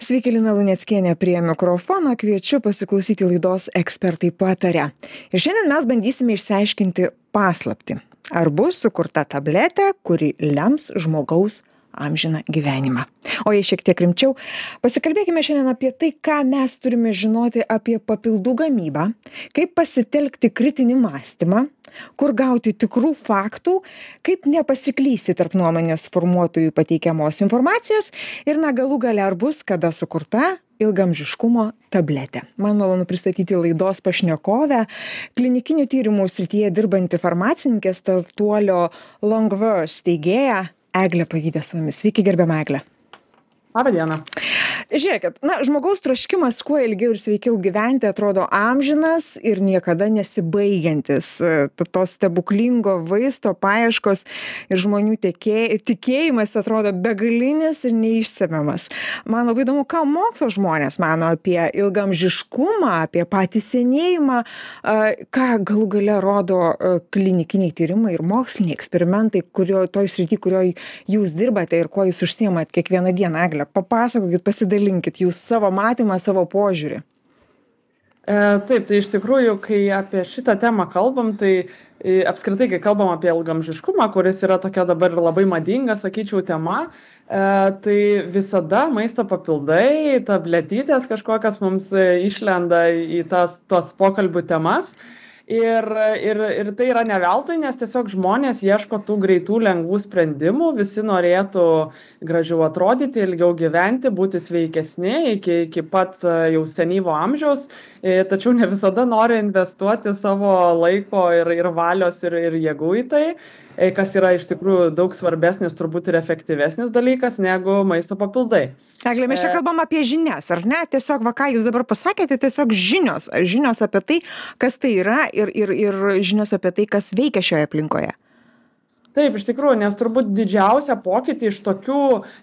Sveiki, Lina Luneckienė prie mikrofono, kviečiu pasiklausyti laidos Ekspertai pataria. Ir šiandien mes bandysime išsiaiškinti paslaptį. Ar bus sukurta tabletė, kuri lems žmogaus amžiną gyvenimą. O jei šiek tiek rimčiau, pasikalbėkime šiandien apie tai, ką mes turime žinoti apie papildų gamybą, kaip pasitelkti kritinį mąstymą, kur gauti tikrų faktų, kaip nepasiklysti tarp nuomonės formuotojų pateikiamos informacijos ir galų gale ar bus kada sukurta ilgaamžiškumo tabletė. Man malonu pristatyti laidos pašnekovę, klinikinių tyrimų srityje dirbanti farmacininkė, startuolio Longverse steigėja Eglė Pavydę su mumis. Sveiki, gerbiama Eglė. Labą dieną. Žiūrėkit, žmogaus troškimas kuo ilgiau ir sveikiau gyventi atrodo amžinas ir niekada nesibaigiantis. To stebuklingo vaisto paieškos ir žmonių tikėjimas atrodo begalinis ir neišsemiamas. Man labai įdomu, ką mokslo žmonės mano apie ilgaamžiškumą, apie patį senėjimą, ką galų gale rodo klinikiniai tyrimai ir moksliniai eksperimentai, toj srity, kurioje jūs dirbate ir kuo jūs užsiimat kiekvieną dieną, Eglė. Papasakokit, pasidalinkit jūs savo matymą, savo požiūrį. Taip, tai iš tikrųjų, kai apie šitą temą kalbam, tai apskritai, kai kalbam apie ilgaamžiškumą, kuris yra tokia dabar labai madinga, sakyčiau, tema, tai visada maisto papildai, tabletytės kažkokios mums išlenda į tos pokalbių temas. Ir tai yra ne veltui, nes tiesiog žmonės ieško tų greitų, lengvų sprendimų, visi norėtų gražiau atrodyti, ilgiau gyventi, būti sveikesni iki pat jau senyvo amžiaus, tačiau ne visada nori investuoti savo laiko ir valios ir jėgų į tai, kas yra iš tikrųjų daug svarbesnis turbūt ir efektyvesnis dalykas negu maisto papildai. Eglė, mes čia kalbam apie žinias, ar ne? Tiesiog, ką jūs dabar pasakėte, tiesiog žinios apie tai, kas tai yra ir žinios apie tai, kas veikia šioje aplinkoje. Taip, iš tikrųjų, nes turbūt didžiausia pokytį iš tokių,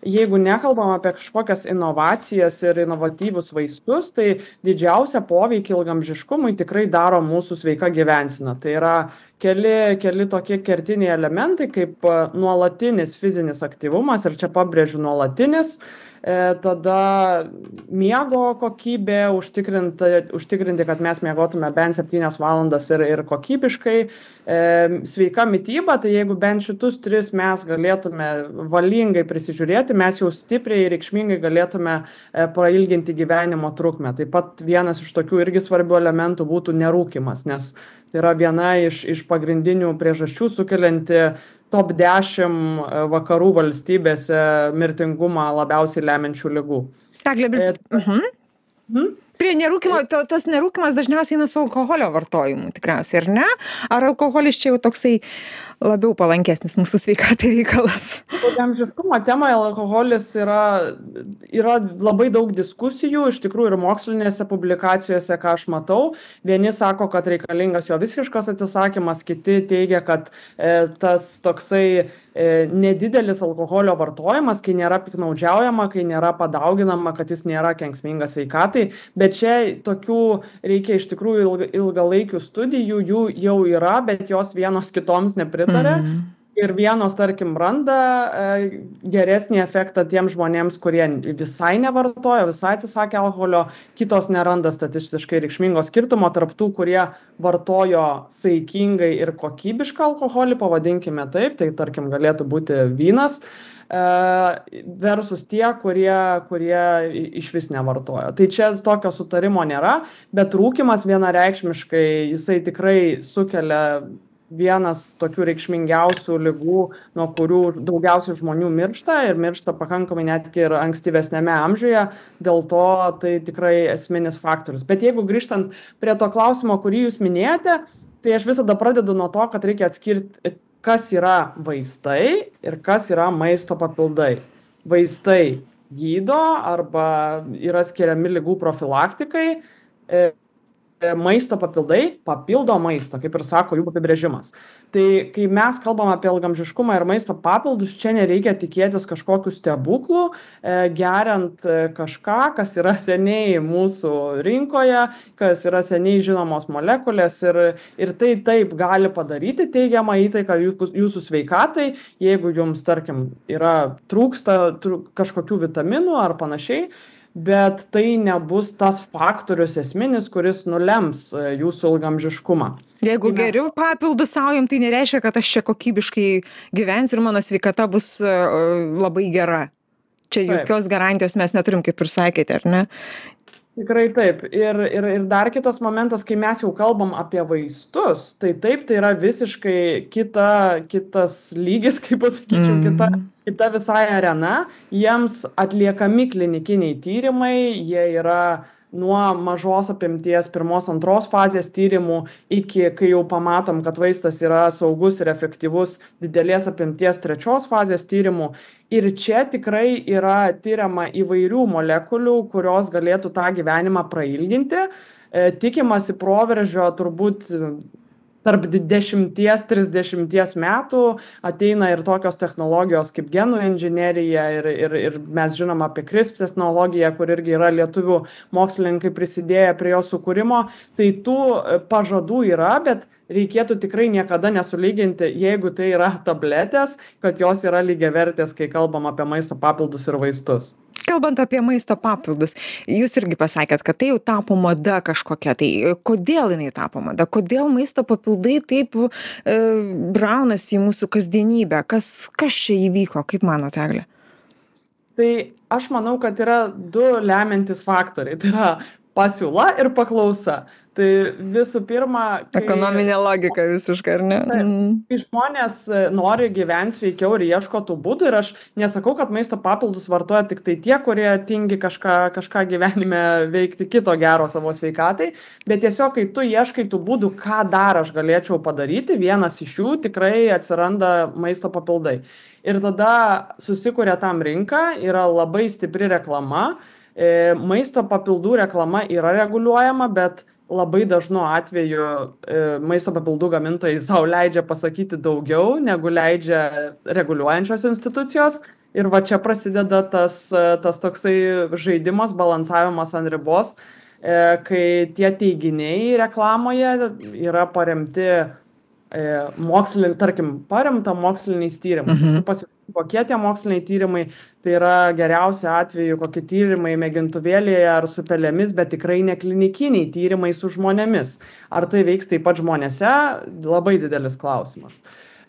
jeigu nekalbam apie kažkokias inovacijas ir inovatyvus vaistus, tai didžiausia poveikį ilgaamžiškumui tikrai daro mūsų sveika gyvensena. Tai yra keli tokie kertiniai elementai, kaip nuolatinis fizinis aktyvumas, ir čia pabrėžiu nuolatinis, tada miego kokybė, užtikrinti, kad mes miegotume bent 7 valandas ir kokybiškai, sveika mityba, tai jeigu bent šitus 3 mes galėtume valingai prisižiūrėti, mes jau stipriai ir reikšmingai galėtume prailginti gyvenimo trukmę. Taip pat vienas iš tokių irgi svarbių elementų būtų nerūkymas, nes tai yra viena iš pagrindinių priežasčių sukelianti top 10 vakarų valstybėse mirtingumą labiausiai lemiančių ligų. Prie nerūkymo, tas nerūkymas dažniausiai eina su alkoholio vartojimu tikriausiai, ar ne? Ar alkoholis čia jau toksai labiau palankesnis mūsų sveikatai reikalas? Ilgaamžiškumo temoje alkoholis yra labai daug diskusijų, iš tikrųjų ir mokslinėse publikacijose, ką aš matau. Vieni sako, kad reikalingas jo visiškas atsisakymas, kiti teigia, kad tas toksai nedidelis alkoholio vartojimas, kai nėra piktnaudžiaujama, kai nėra padauginama, kad jis nėra kenksmingas sveikatai. Bet čia tokių reikia iš tikrųjų ilgalaikių studijų, jų jau yra, bet jos vienos kitoms nepritarė. Ir vienos, tarkim, randa geresnį efektą tiems žmonėms, kurie visai nevartojo, visai atsisakė alkoholio, kitos neranda statistiškai reikšmingo skirtumo tarp tų, kurie vartojo saikingai ir kokybišką alkoholį, pavadinkime taip, tai tarkim galėtų būti vynas, versus tie, kurie išvis nevartojo. Tai čia tokio sutarimo nėra, bet rūkymas vienareikšmiškai, jisai tikrai sukelia vienas tokių reikšmingiausių ligų, nuo kurių daugiausiai žmonių miršta ir miršta pakankamai netgi ir ankstyvesnėme amžiuje, dėl to tai tikrai esminis faktorius. Bet jeigu grįžtant prie to klausimo, kurį jūs minėjote, tai aš visada pradedu nuo to, kad reikia atskirti, kas yra vaistai ir kas yra maisto papildai. Vaistai gydo arba yra skiriami ligų profilaktikai, maisto papildai papildo maistą, kaip ir sako jų apibrėžimas. Tai kai mes kalbam apie ilgaamžiškumą ir maisto papildus, čia nereikia tikėtis kažkokių stebuklų, geriant kažką, kas yra seniai mūsų rinkoje, kas yra seniai žinomos molekulės ir tai taip gali padaryti teigiamą įtaiką jūsų sveikatai, jeigu jums, tarkim, trūksta kažkokių vitaminų ar panašiai. bet tai nebus tas faktorius esminis, kuris nulems jūsų ilgamžiškumą. Jeigu Kai mes geriu papildus saujam, tai nereiškia, kad aš čia kokybiškai gyvensiu ir mano sveikata bus labai gera. Čia Taip. jokios garantijos mes neturim, kaip ir sakėte, ar ne? Tikrai taip. Ir dar kitas momentas, kai mes jau kalbam apie vaistus, tai taip, tai yra visiškai kitas lygis, kaip pasakyčiau, kita visai arena. Jiems atliekami klinikiniai tyrimai, jie yra nuo mažos apimties pirmos, antros fazės tyrimų iki, kai jau pamatom, kad vaistas yra saugus ir efektyvus, didelės apimties trečios fazės tyrimų. Ir čia tikrai yra tyriama įvairių molekulių, kurios galėtų tą gyvenimą prailginti. Tikimasi proveržio turbūt tarp 10-30 metų ateina ir tokios technologijos kaip genų inžinerija ir mes žinom apie CRISPR technologiją, kur irgi yra lietuvių mokslininkai prisidėję prie jos sukūrimo. Tai tų pažadų yra, bet reikėtų tikrai niekada nesulyginti, jeigu tai yra tabletės, kad jos yra lygiavertės, kai kalbam apie maisto papildus ir vaistus. Kalbant apie maisto papildus, jūs irgi pasakėt, kad tai jau tapo mada kažkokia. Tai kodėl jinai tapo mada? Kodėl maisto papildai taip braunasi į mūsų kasdienybę? Kas čia įvyko, kaip manote, Egle? Tai aš manau, kad yra du lemiantys faktoriai. Tai yra pasiūla ir paklausa. Tai visų pirma, ekonominė logika visiškai, ar ne? Kai žmonės nori gyventi sveikiau ir ieško tų būdų, ir aš nesakau, kad maisto papildus vartoja tik tai tie, kurie tingi kažką gyvenime veikti kito gero savo sveikatai, bet tiesiog, kai tu ieškai tų būdų, ką dar aš galėčiau padaryti, vienas iš jų tikrai atsiranda maisto papildai. Ir tada susikuria tam rinka, yra labai stipri reklama, maisto papildų reklama yra reguliuojama, bet labai dažnu atveju maisto papildų gamintojai sau leidžia pasakyti daugiau, negu leidžia reguliuojančios institucijos. Ir va čia prasideda tas toksai žaidimas, balansavimas ant ribos, kai tie teiginiai reklamoje yra paremti paremta moksliniais tyrimais. Tu pasižiūrėk, kokie tie moksliniai tyrimai, tai yra geriausiu atveju kokie tyrimai mėgintuvėlėje ar su pelėmis, bet tikrai ne klinikiniai tyrimai su žmonėmis. Ar tai veiks taip pat žmonėse? Labai didelis klausimas.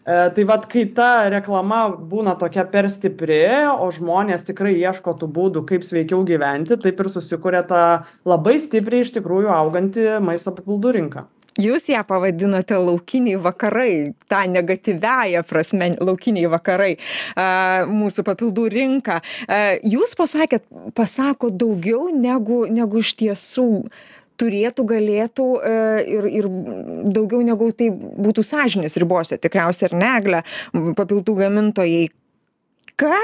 Tai vat, kai ta reklama būna tokia per stipri, o žmonės tikrai ieško tų būdų, kaip sveikiau gyventi, taip ir susikuria ta labai stipriai iš tikrųjų auganti maisto papildų rinka. Jūs ją pavadinote laukiniai vakarai, tą negatyviąją prasme, laukiniai vakarai, mūsų papildų rinka. Jūs pasako daugiau negu iš tiesų turėtų, galėtų ir daugiau negu tai būtų sąžinės ribose, tikriausiai, ar ne, Egle, papildų gamintojai. Ką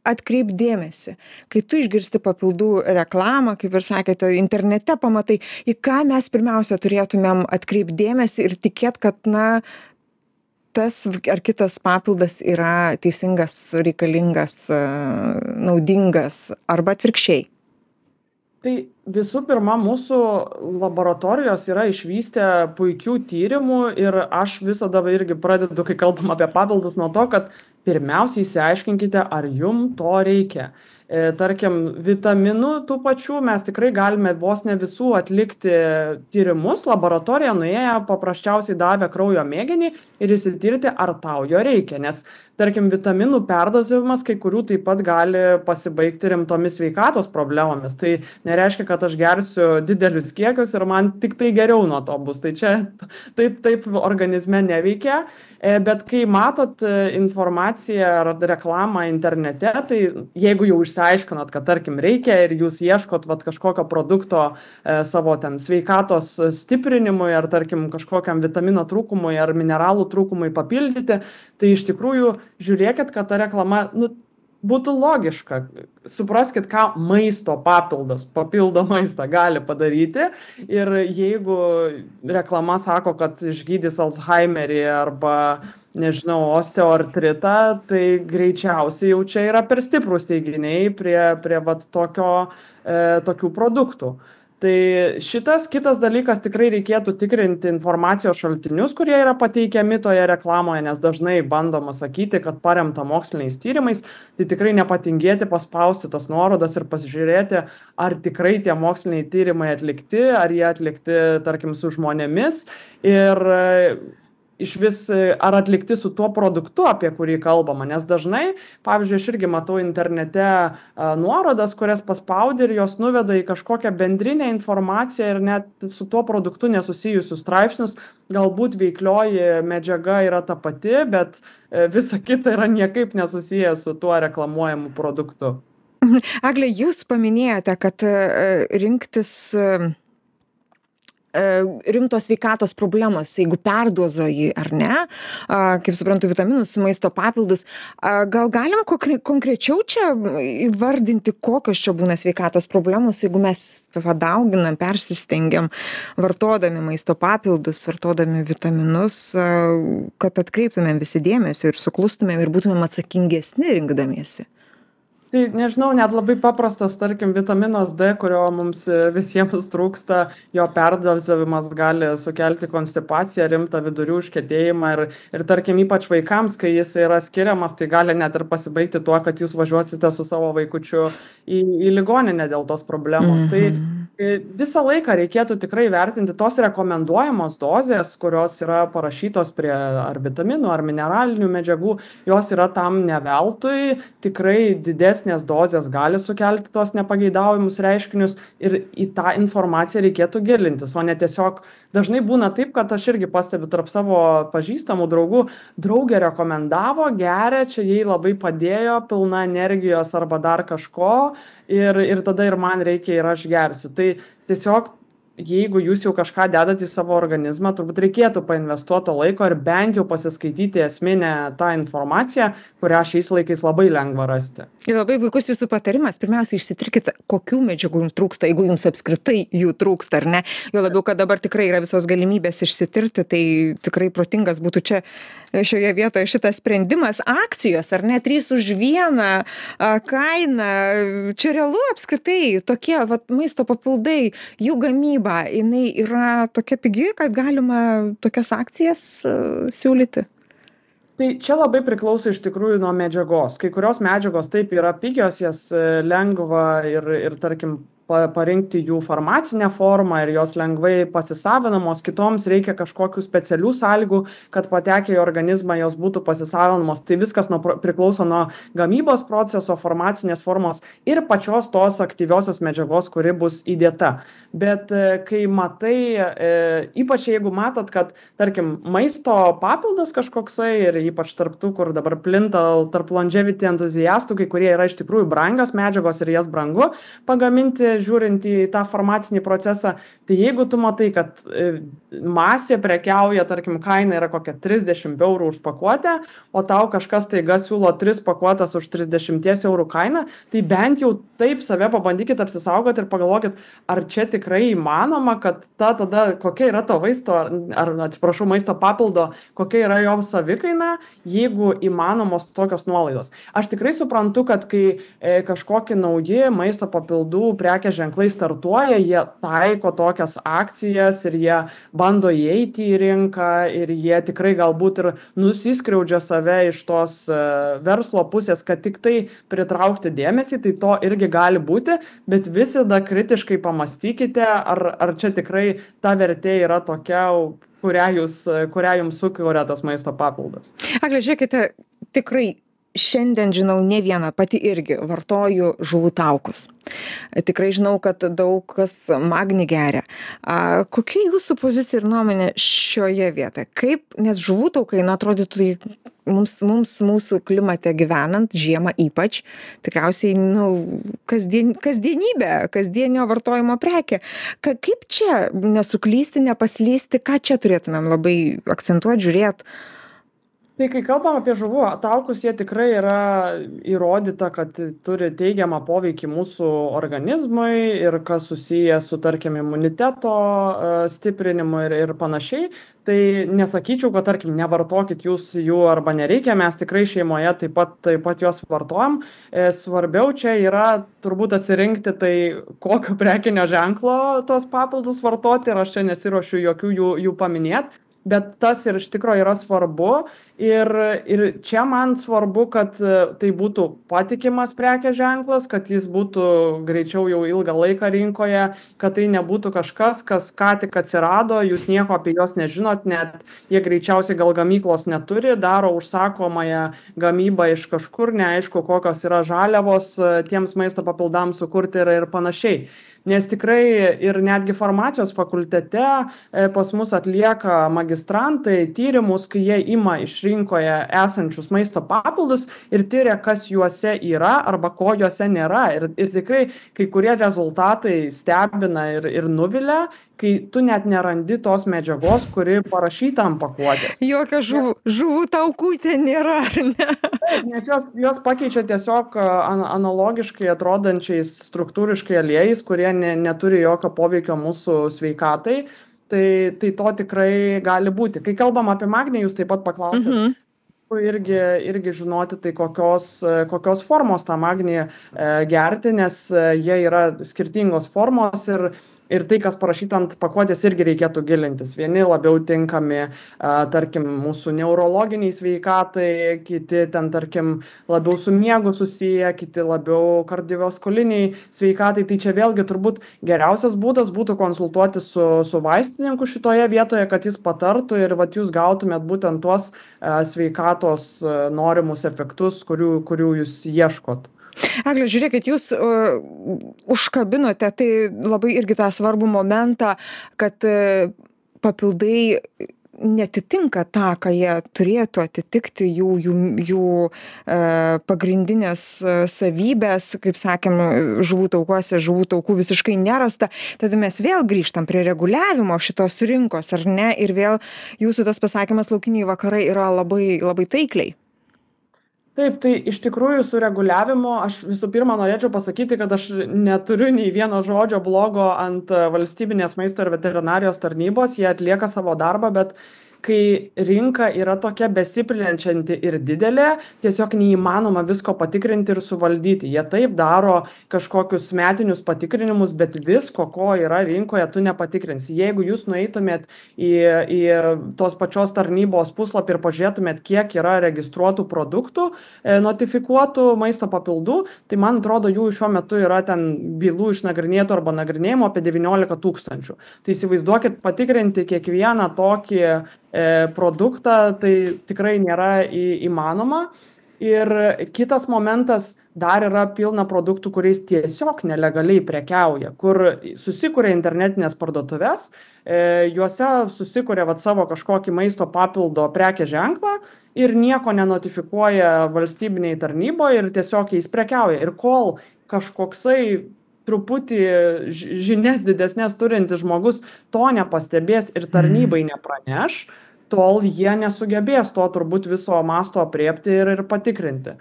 atkreip dėmesį, kai tu išgirsti papildų reklamą, kaip ir sakėte, internete pamatai, į ką mes pirmiausia turėtumėm atkreip dėmesį ir tikėt, kad, tas ar kitas papildas yra teisingas, reikalingas, naudingas arba atvirkščiai. Tai visų pirma, mūsų laboratorijos yra išvystę puikių tyrimų ir aš visada irgi pradedu, kai kalbam apie papildus, nuo to, kad pirmiausiai išsiaiškinkite, ar jum to reikia. Tarkim, vitaminų tų pačių mes tikrai galime vos ne visų atlikti tyrimus. Laboratorija nuėję paprasčiausiai davė kraujo mėginį ir įsitirti, ar tau jo reikia. Nes, tarkim, vitaminų perdozavimas kai kurių taip pat gali pasibaigti rimtomis sveikatos problemomis. Tai nereiškia, kad aš gersiu didelius kiekius ir man tik tai geriau nuo to bus. Tai čia taip organizme neveikia. Bet kai matot informaciją ar reklamą internete, tai jeigu jau išsiaiškinot, kad tarkim reikia ir jūs ieškot kažkokio produkto savo ten sveikatos stiprinimui ar tarkim kažkokiam vitamino trūkumui ar mineralų trūkumui papildyti, tai iš tikrųjų žiūrėkit, kad ta reklama būtų logiška. Supraskit, ką maisto papildas, papildo maistą gali padaryti. Ir jeigu reklama sako, kad išgydys Alzheimerį arba, nežinau, osteoartritą, tai greičiausiai jau čia yra per stiprūs teiginiai prie tokių produktų. Tai šitas kitas dalykas tikrai reikėtų tikrinti informacijos šaltinius, kurie yra pateikiami toje reklamoje, nes dažnai bandoma sakyti, kad paremta moksliniais tyrimais, tai tikrai nepatingėti paspausti tas nuorodas ir pasižiūrėti, ar tikrai tie moksliniai tyrimai atlikti, ar jie atlikti, tarkim, su žmonėmis ir išvis ar atlikti su tuo produktu, apie kurį kalbama, nes dažnai, pavyzdžiui, aš irgi matau internete nuorodas, kurias paspaudi ir jos nuveda į kažkokią bendrinę informaciją ir net su tuo produktu nesusijusius straipsnius, galbūt veiklioji medžiaga yra ta pati, bet visa kita yra niekaip nesusiję su tuo reklamuojamu produktu. Egle, jūs paminėjote, kad rinktis rimtos sveikatos problemos, jeigu perdozuoji ar ne, kaip suprantu, vitaminus, maisto papildus. Gal galim konkrečiau čia įvardinti, kokios čia būna sveikatos problemos, jeigu mes padauginam, persistengiam, vartodami maisto papildus, vartodami vitaminus, kad atkreiptumėm visi dėmesio ir suklustumėm ir būtumėm atsakingesni rinkdamiesi? Tai nežinau, net labai paprastas, tarkim, vitaminas D, kurio mums visiems trūksta, jo perdozavimas gali sukelti konstipaciją, rimtą vidurių užkietėjimą ir tarkim, ypač vaikams, kai jis yra skiriamas, tai gali net ir pasibaigti tuo, kad jūs važiuosite su savo vaikučiu į ligoninę dėl tos problemos. Tai visą laiką reikėtų tikrai vertinti tos rekomenduojamos dozės, kurios yra parašytos prie ar vitaminų, ar mineralinių medžiagų, jos yra tam ne veltui, tikrai didesnės dozės gali sukelti tos nepageidaujamus reiškinius ir į tą informaciją reikėtų gilintis, o ne tiesiog dažnai būna taip, kad aš irgi pastebiu tarp savo pažįstamų draugų, draugė rekomendavo, geria, čia jai labai padėjo, pilna energijos arba dar kažko ir tada ir man reikia ir aš gersiu. Tai tiesiog jeigu jūs jau kažką dedat į savo organizmą, turbūt reikėtų painvestuoto laiko ir bent jau pasiskaityti esminę tą informaciją, kurią šiais laikais labai lengva rasti. Ir labai puikus jūsų patarimas. Pirmiausia, išsitirkite, kokių medžiagų jums trūksta, jeigu jums apskritai jų trūksta, ar ne. Jo labiau, kad dabar tikrai yra visos galimybės išsitirti, tai tikrai protingas būtų čia šioje vietoje šitas sprendimas. Akcijos, ar ne, 3 už 1 kaina. Čia realu apskritai tokie maisto papildai, jų gamyba, jinai yra tokia pigi, kad galima tokias akcijas siūlyti. Tai čia labai priklauso iš tikrųjų nuo medžiagos. Kai kurios medžiagos taip yra pigios, jas lengva ir tarkim, parinkti jų farmacinę formą ir jos lengvai pasisavinamos, kitoms reikia kažkokių specialių sąlygų, kad patekę į organizmą jos būtų pasisavinamos. Tai viskas priklauso nuo gamybos proceso, farmacinės formos ir pačios tos aktyviosios medžiagos, kuri bus įdėta. Bet kai matai, ypač jeigu matot, kad, tarkim, maisto papildas kažkoksai ir ypač tarp tų, kur dabar plinta tarp longevity entuziastų, kai kurie yra iš tikrųjų brangios medžiagos ir jas brangu pagaminti, žiūrint į tą farmacinį procesą, tai jeigu tu matai, kad masė prekiauja, tarkim, kaina yra kokia 30 eurų už pakuotę, o tau kažkas taiga siūlo 3 pakuotas už 30 eurų kainą, tai bent jau taip save pabandykit apsisaugoti ir pagalvokit, ar čia tikrai įmanoma, kad tada kokia yra to vaisto, ar atsiprašau, maisto papildo, kokia yra jo savikaina, jeigu įmanomos tokios nuolaidos. Aš tikrai suprantu, kad kai kažkokie nauji maisto papildų prekės ženklai startuoja, jie taiko tokias akcijas ir jie bando įeiti į rinką ir jie tikrai galbūt ir nusiskriaudžia save iš tos verslo pusės, kad tik tai pritraukti dėmesį, tai to irgi gali būti, bet visada kritiškai pamastykite, ar čia tikrai ta vertė yra tokia, kurią jums sukuria tas maisto papildas. Egle, žiūrėkite, tikrai šiandien žinau ne vieną, pati irgi vartoju žuvų taukus. Tikrai žinau, kad daug kas magnį geria. Kokia jūsų pozicija ir nuomonė šioje vietoje? Kaip, nes žuvų taukai, atrodytų, mums mūsų klimate gyvenant, žiemą ypač, tikriausiai, kasdienybė, kasdienio vartojimo prekė. Kaip čia nesuklysti, nepaslysti, ką čia turėtumėm labai akcentuoti, žiūrėti? Tai kai kalbam apie žuvų taukus, jie tikrai yra įrodyta, kad turi teigiamą poveikį mūsų organizmui ir kas susiję su, tarkim, imuniteto stiprinimu ir panašiai. Tai nesakyčiau, kad, tarkim, nevartokit jūs jų arba nereikia, mes tikrai šeimoje taip pat juos vartojam. Svarbiau čia yra turbūt atsirinkti tai, kokio prekinio ženklo tos papildus vartoti, ir aš čia nesiruošiu jokių jų paminėti. Bet tas ir iš tikrųjų yra svarbu. Ir čia man svarbu, kad tai būtų patikimas prekės ženklas, kad jis būtų greičiau jau ilgą laiką rinkoje, kad tai nebūtų kažkas, kas ką tik atsirado, jūs nieko apie juos nežinot, net jie greičiausiai gal gamyklos neturi, daro užsakomąją gamybą iš kažkur, neaišku, kokios yra žaliavos tiems maisto papildams sukurti ir panašiai. Nes tikrai ir netgi farmacijos fakultete pas mus atlieka magistrantai tyrimus, kai jie ima iš rinkoje esančius maisto papildus ir tyria, kas juose yra arba ko juose nėra. Ir tikrai kai kurie rezultatai stebina ir nuvilia, kai tu net nerandi tos medžiagos, kuri parašyta ant pakuotės. Jokio žuvų taukų ten nėra, ar ne? Nes jos pakeičia tiesiog analogiškai atrodančiais struktūriškai aliejais, kurie neturi jokio poveikio mūsų sveikatai. Tai to tikrai gali būti. Kai kalbam apie magnį, jūs taip pat paklausėte, irgi žinoti, tai kokios formos tą magnį gerti, nes jie yra skirtingos formos ir tai, kas parašyta ant pakuotės, irgi reikėtų gilintis. Vieni labiau tinkami, tarkim, mūsų neurologiniai sveikatai, kiti ten, tarkim, labiau su miegu susiję, kiti labiau kardiovaskuliniai sveikatai. Tai čia vėlgi turbūt geriausias būdas būtų konsultuoti su vaistininku šitoje vietoje, kad jis patartų ir vat jūs gautumėt būtent tuos sveikatos norimus efektus, kurių jūs ieškot. Egle, žiūrėkit, jūs užkabinote tai labai irgi tą svarbų momentą, kad papildai netitinka tą, ką jie turėtų atitikti, jų pagrindinės savybės, kaip sakėm, žuvų taukuose, žuvų taukų visiškai nerasta. Tada mes vėl grįžtam prie reguliavimo šitos rinkos, ar ne? Ir vėl jūsų tas pasakymas laukiniai vakarai yra labai, labai taikliai. Taip, tai iš tikrųjų su reguliavimu aš visų pirma norėčiau pasakyti, kad aš neturiu nei vieno žodžio blogo ant valstybinės maisto ir veterinarijos tarnybos, jie atlieka savo darbą, bet kai rinka yra tokia besiplenčianti ir didelė, tiesiog neįmanoma visko patikrinti ir suvaldyti. Jie taip daro kažkokius metinius patikrinimus, bet visko, ko yra rinkoje, tu nepatikrinsi. Jeigu jūs nueitumėt į tos pačios tarnybos puslapį ir pažiūrėtumėt, kiek yra registruotų produktų, notifikuotų maisto papildų, tai man atrodo, jų šiuo metu yra ten bylų išnagrinėtų arba nagrinėjimo apie 19 000. Tai įsivaizduokit, patikrinti kiekvieną tokį produktą, tai tikrai nėra įmanoma. Ir kitas momentas, dar yra pilna produktų, kuriais tiesiog nelegaliai prekiauja, kur susikuria internetinės parduotuvės, juose susikuria savo kažkokį maisto papildo prekės ženklą ir nieko nenotifikuoja valstybiniai tarnyboje ir tiesiog jais prekiauja. Ir kol kažkoksai truputį žinias didesnės turintis žmogus to nepastebės ir tarnybai nepraneš, tol jie nesugebės to turbūt viso masto apriepti ir patikrinti.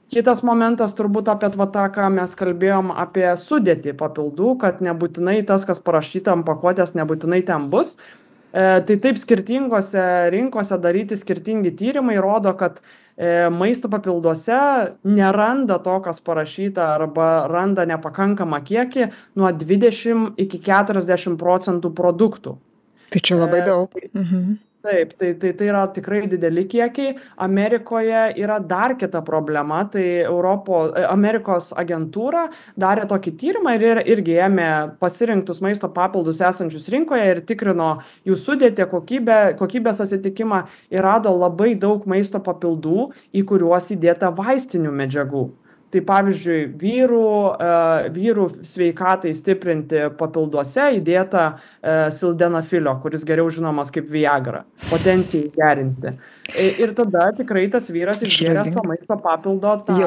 Kitas momentas turbūt apie tą, ką mes kalbėjom apie sudėtį papildų, kad nebūtinai tas, kas parašyta ant pakuotės, nebūtinai ten bus. Tai taip skirtingose rinkose daryti skirtingi tyrimai rodo, kad maisto papilduose neranda to, kas parašyta, arba randa nepakankamą kiekį nuo 20 iki 40% produktų. Tai čia labai daug. Taip, tai yra tikrai dideli kiekiai. Amerikoje yra dar kita problema, tai Amerikos agentūra darė tokį tyrimą ir irgi ėmė pasirinktus maisto papildus esančius rinkoje ir tikrino jų sudėtį, kokybės atitikimą ir rado labai daug maisto papildų, į kuriuos įdėta vaistinių medžiagų. Tai pavyzdžiui, vyrų sveikatai stiprinti papilduose įdėta sildenafilio, kuris geriau žinomas kaip Viagra, potencijai gerinti. Ir tada tikrai tas vyras išgėręs to maisto papildo tą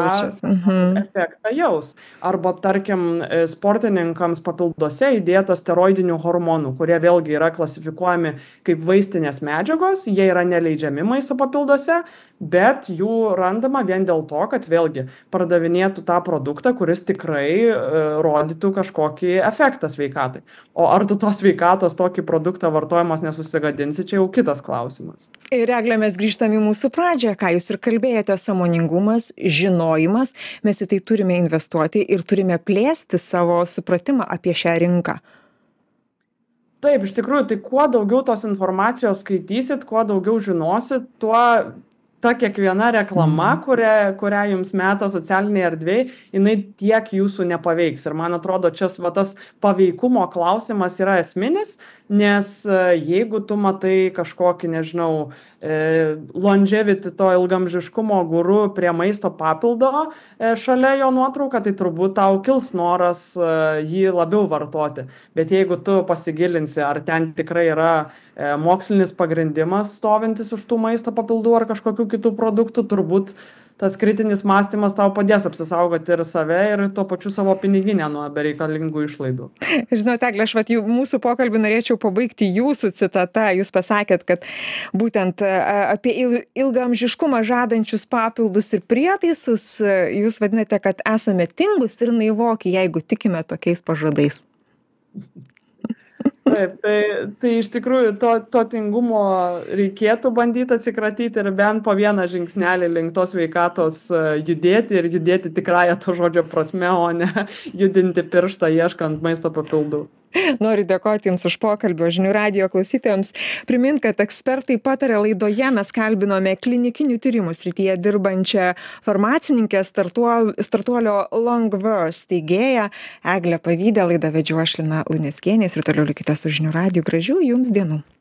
efektą jaus. Arba, tarkim, sportininkams papilduose įdėta steroidinių hormonų, kurie vėlgi yra klasifikuojami kaip vaistinės medžiagos, jie yra neleidžiami maisto papilduose, bet jų randama vien dėl to, kad vėlgi pardavinėtų tą produktą, kuris tikrai rodytų kažkokį efektą sveikatai. O ar tu tos sveikatos tokį produktą vartojimas nesusigadinsi, čia jau kitas klausimas. Ir Egle, mes grįžtame į mūsų pradžią, ką jūs ir kalbėjote, sąmoningumas, žinojimas, mes į tai turime investuoti ir turime plėsti savo supratimą apie šią rinką. Taip, iš tikrųjų, tai kuo daugiau tos informacijos skaitysit, kuo daugiau žinosit, tuo ta kiekviena reklama, kurią jums meta socialiniai erdvėj, jinai tiek jūsų nepaveiks. Ir man atrodo, čia tas paveikumo klausimas yra esminis, nes jeigu tu matai kažkokį, nežinau, longevity, to ilgamžiškumo guru prie maisto papildo šalia jo nuotrauką, tai turbūt tau kils noras jį labiau vartoti. Bet jeigu tu pasigilinsi, ar ten tikrai yra mokslinis pagrindimas stovintis už tų maisto papildų ar kažkokių kitų produktų, turbūt tas kritinis mąstymas tau padės apsisaugoti ir save, ir tuo pačiu savo piniginę nuo bereikalingų išlaidų. Žinote, Egle, aš mūsų pokalbį norėčiau pabaigti jūsų citata. Jūs pasakėt, kad būtent apie ilgaamžiškumą žadančius papildus ir prietaisus jūs vadinate, kad esame tingus ir naivoki, jeigu tikime tokiais pažadais. Taip, tai iš tikrųjų to tingumo reikėtų bandyti atsikratyti ir bent po vieną žingsnelį link tos sveikatos judėti ir judėti tikrąją to žodžio prasme, o ne judinti pirštą ieškant maisto papildų. Noriu dėkoti Jums už pokalbį, žinių radijo klausytojams. Primint, kad ekspertai pataria laidoje mes kalbinome klinikinių tyrimų srityje dirbančią farmacininkę, startuolio Longverse steigėją Eglę Pavydę. Laidą vedžiau aš, Lina Luneckienė, ir toliau likite su žinių radiju. Gražių Jums dienų.